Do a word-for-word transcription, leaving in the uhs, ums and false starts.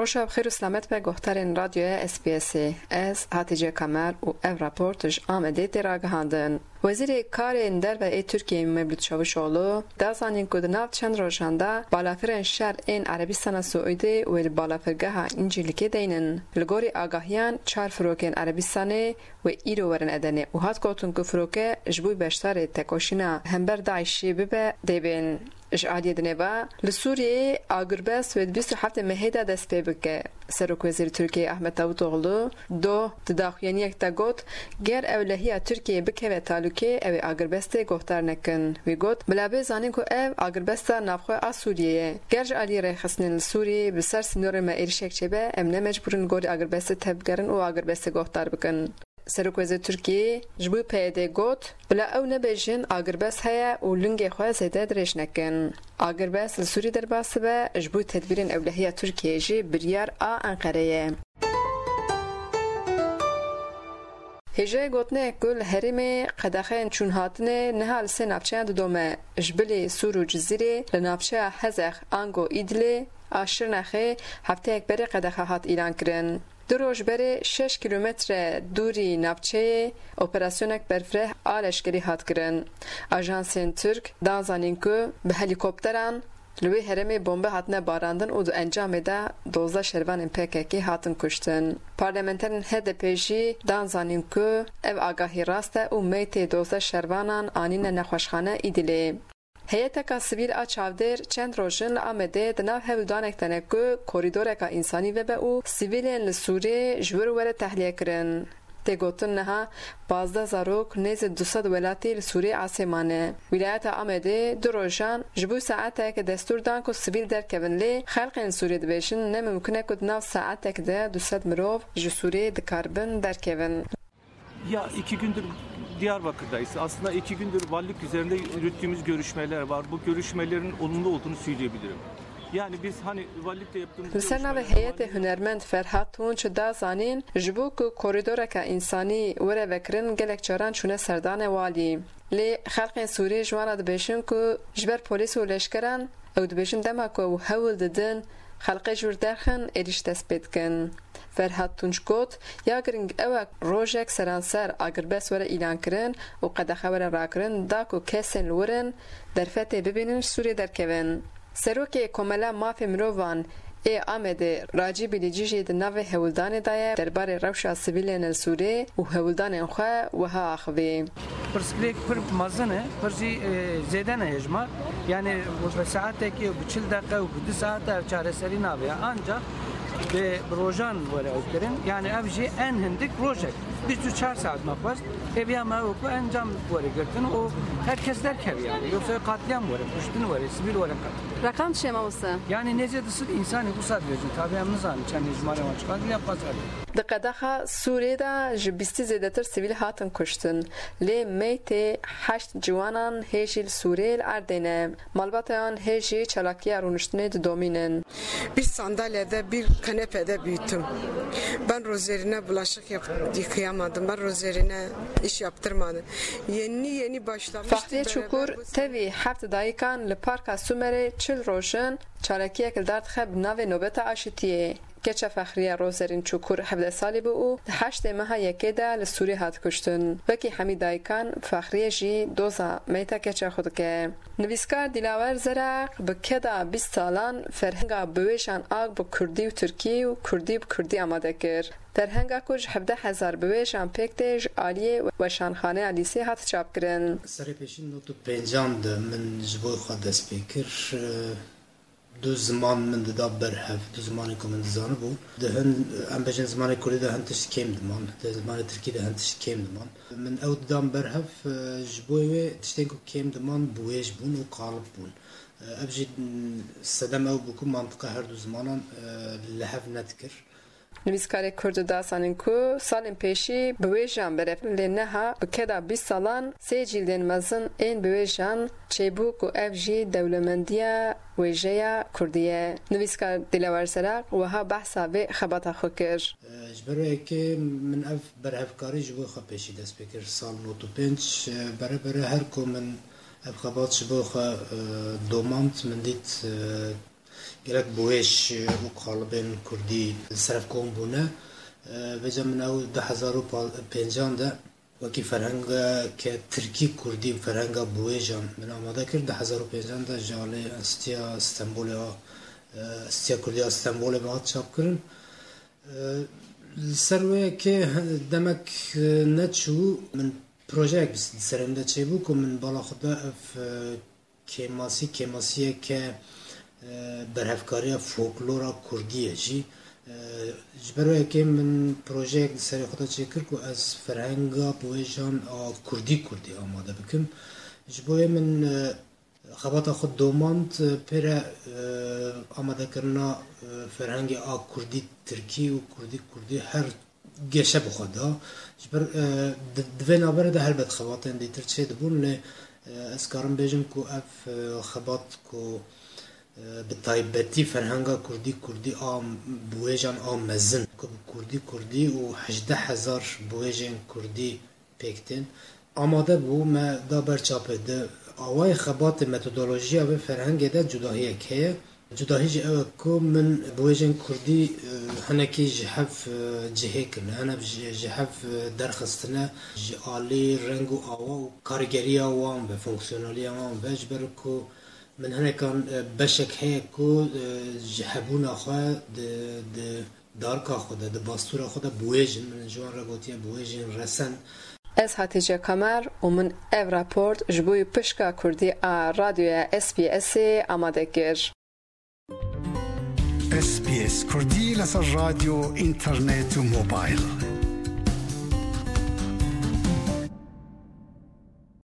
Roja bi xêr û selamet be guhdarên Radyoya S B S'ê. Ez Hatice Kamer û ev raport ji Amedê tê ragihandin. Wezîrê Karên Derve ê Tirkiyê Mevlût Çavuşoğlu da zanîn ku di nav çend rojan de balafirên şer ên Erebistana Siûdî wê li balafirgeha Încîlikê deynin. Li gorî agahiyan çar firokên Erebistanê wê îro werin Edenê û hat gotin ku firoke ji bo beşdarê tekoşîna hember DAIŞ'ê bibe dê bên. Ji aliyê dinê ve, li Sûriyeyê agirbest wê di bîst û heftê mehê de dest pê bike. Serokwezîr Tirkiyeyê Ahmet Davutoglu doh di daxuyaniyek de got, ger ewlehiya Tirkiyeyê bikeve talûkê, ew ê agirbestê guhdar nekin. Wî got, bila bê zanîn ku ev agirbesta navxwe a Sûriyê ye. Ger ji aliyê rêxistinên li Sûriyeyê bi ser sînorên me êrişek çêbe, em ne mecbûr in li gorî agirbestê tevbigerin û agirbestê guhdar bikin. Serokwezîr Tirkiyê ji bo P Y D'ê got, bila ew nebêjin agirbest heye û lingê xwe zêde dirêj nekin. Agirbest li Sûrî derbas dibe, ji bo tedbîrên ewlehiya Tirkiyeyê jî biryar a Enqerê ye. Hêjayê gotinê ku li herêmê qedexeyên çûnhatinê niha li sê navçeyan didome. Ji bilî Sûr û Cizîrê li navçeya Hezex ango Îdilê a Şirnexê hefteyek berê qedexe hat îlankirin. Du roj berê şeş kîlometre dûrî navçeyê operasyonek berfireh a leşkerî hat kirin. Ajansên Tirk dan zanîn ku bi helîkopteran li wê herêmê bombe hatine barandin û di encamê de dozdeh şervanên P K K hatin kuştin. Parlamenterên H D P jî dan zanîn ku ev agahî rast e û meytê dozdeh şervanan anîne nexweşxane Îdilê. Heyeteka sivîl a çavdêr çend roj in li Amedê di nav hewldanek de ne ku korîdoreka însanî vebe û sivîlên li Sûrê ji wir were tehliyekirin. Tê gotin niha pazdeh zarok nêzî du sed welatî li Sûrê asê mane. Wîlayeta Amedê du rojan ji bo saetek destûr dan ku sivîl derkevin, lê xelkên Sûrê dibêjin ne mimkun e ku di nav saetek de du sed mirov ji Sûrê dikaribin derkevin. Ya iki gündür Diyarbakır'dayız. Aslında iki gündür valilik üzerinde yürüttüğümüz görüşmeler var. Bu görüşmelerin olumlu olduğunu söyleyebilirim. Yani biz hani valilikle yaptığımız Li ser navê görüşmeler heyetê hunermend Ferhat Tunç da zanîn, ji bo ku korîdoreke însanî were vekirin, gelek caran çûne serdanê walî. Lê xelkên Sûrî ji wan re dibêjin ku ji ber polîs û leşkeran, ew dibêjin dema ku ew hewl didin, xelkê ji wir derxin, êrîş dest pê dikin. Ferhat Tunç got, ya giring ew e rojek seranser agirbest were îlankirin û qedexe were rakirin, da ku kesên li wir in derfetê bibînin ji Sûriyê derkevin. Serokê Komela Mafê Mirovan ê Amedê Racî Bilîcî jî di navê hewldanê de ye derbarê rewşa sivîlên li Sûrê û hewldanên xwe wiha axivî. Pirsgirêk pir mezin e, pir jî, e, zêde ne hêjmar. Yani bi saetekê û bi çil deqe û bi du saete ev çareserî nabe. Ancak bi, bi rojan were ew kirin. Yani ev jî en hindik rojek. Bîst û çar saet me xwest. Hêviya me ew ku encam were girtin û her kes derkeve yani. Yoksa katliam were, kuştin were, sivîl were katil. Reqam çi ye mamoste? Yani nêzî du sed însanî wisa dibêjin. Tabi em nizanin çend hêjmarê wan çiqas, lê em xwest ev. Di qedexa Sûrê de ji bîstî zêdetir sivîl hatin kuştin. Lê meytê heşt ciwanan hê jî li Sûrê li erdê ne. Malbata wan hê jî çalakiya rûniştinê didomînin. Bir sandalyede bir kanepede büyüttüm. Ben rozerine bulaşık yap- yıkayamadım. Ben rozerine iş yaptırmadım. Yeni yeni başlamıştım. Fahriye Çukur tevî heft dayikan li Parka Sumerê çil roj in çalakiyek li dar dixe bi navê Nobeta Aşitiyê. Keça Fexriye Rozerîn Çukur hevdeh salî bû û di heştê meha yekê de li Sûrî hat kuştin. Wekî hemî dayikan, Fexriye jî doza meyta keça xwe dike. Nivîskar Dilawer Zeraq bi keda bîst salan ferhenga biwêjan a bi kurdî û tirkî û kurdî bi kurdî amade kir. Ferhenga ku ji hevdeh hezar biwêjan pêk tê, ji aliyê weşanxaneya Lîsê hat çapkirin. Serê pêşî nod û pêncan de min ji bo xwe dest pê kir. Du ziman min dida ber hev, du zimanê ku min dizanibû. Di hin, em bêjin zimanê kurdî de hin tişt kêm diman, di zimanê tirkî de hin tişt kêm diman. Min ew didan ber hev, e, ji bo wê tiştên ku kêm diman bi wêj bûn û qalib bûn. E, ev jî, m, sedem ew bû ku mantiqa her du zimanan, e, li hev nedikir. Nivîskarê Kurd da zanîn ku salên pêşî biwêjan berevin, lê niha bi keda bîst salan sê cîldên mezin ên biwêjan çêbû ku ev jî dewlemendiya wêjeya kurdî ye. Nivîskar Dilawer Zeraq wiha behsa vê xebata xwe kir. Ji ber wê yekê min ev berhevkarî ji bo xwe pêşî dest pê kir. Sal nod û pênc, bere bere her ku min ev xebat ji bo xwe, e, domand, min dît, e, Gelek biwêj û qalibên kurdî li ser ev kom bûne. Vêca min ew du hezar û pêncan de wekî ferhengeke tirkî kurdî, ferhenga biwêjan min amade kir. Du hezar û pêncan de ji alî Enstîtuya Stenbolê a, Enstîtuya Kurdî ya Stenbolê ve hat çapkirin. Li ser wê yekê demek neçû min projeyek bi serê min de çêbû ku min bala xwe da ev kêmasî, kêmasiyeke berhevkariya folklora kurdî ye jî. Ji ber wê yekê min projeyek li serê xwe de çêkir ku ez ferhenga biwêjan a kurdî kurdî amade bikim. Ji bo yê min xebata xwe domand pê re amadekirina ferhengê a kurdî tirkî û kurdî kurdî her geşe bi xwe da. Ji ber di vê navberê de helbet xebatên dîtir çê dibûn, lê ez karim bêjim ku ev xebat ku bi taybetî ferhenga kurdî kurdî a biwêjan a mezin ku bi kurdî kurdî û hejdeh hezar biwêjên kurdî pêk tên. Amade bû, me da ber çapê. Di awayê xebatê, metodolojiya vê ferhengê de cudahiyek heye. Cudahî jî ew e ku min biwêjên kurdî hinekî ji hev cihê kirine, hinek ji hev derxistine, ji alî reng û awa û karîgeriya wan ve, fonksiyonaliya wan ve, ji ber ku min hinekan beşek heye ku ji hebûna xwe di, di darka xwe de, di bastûra xwe de biwêjin, min ji wan re gotiye biwêjên resen. Ez Hatîce Kamer û min ev raport ji bo pişka kurdî a radyoya S B S'ê amade kir. S B S Kurdî li ser radyo, înternet û mobil.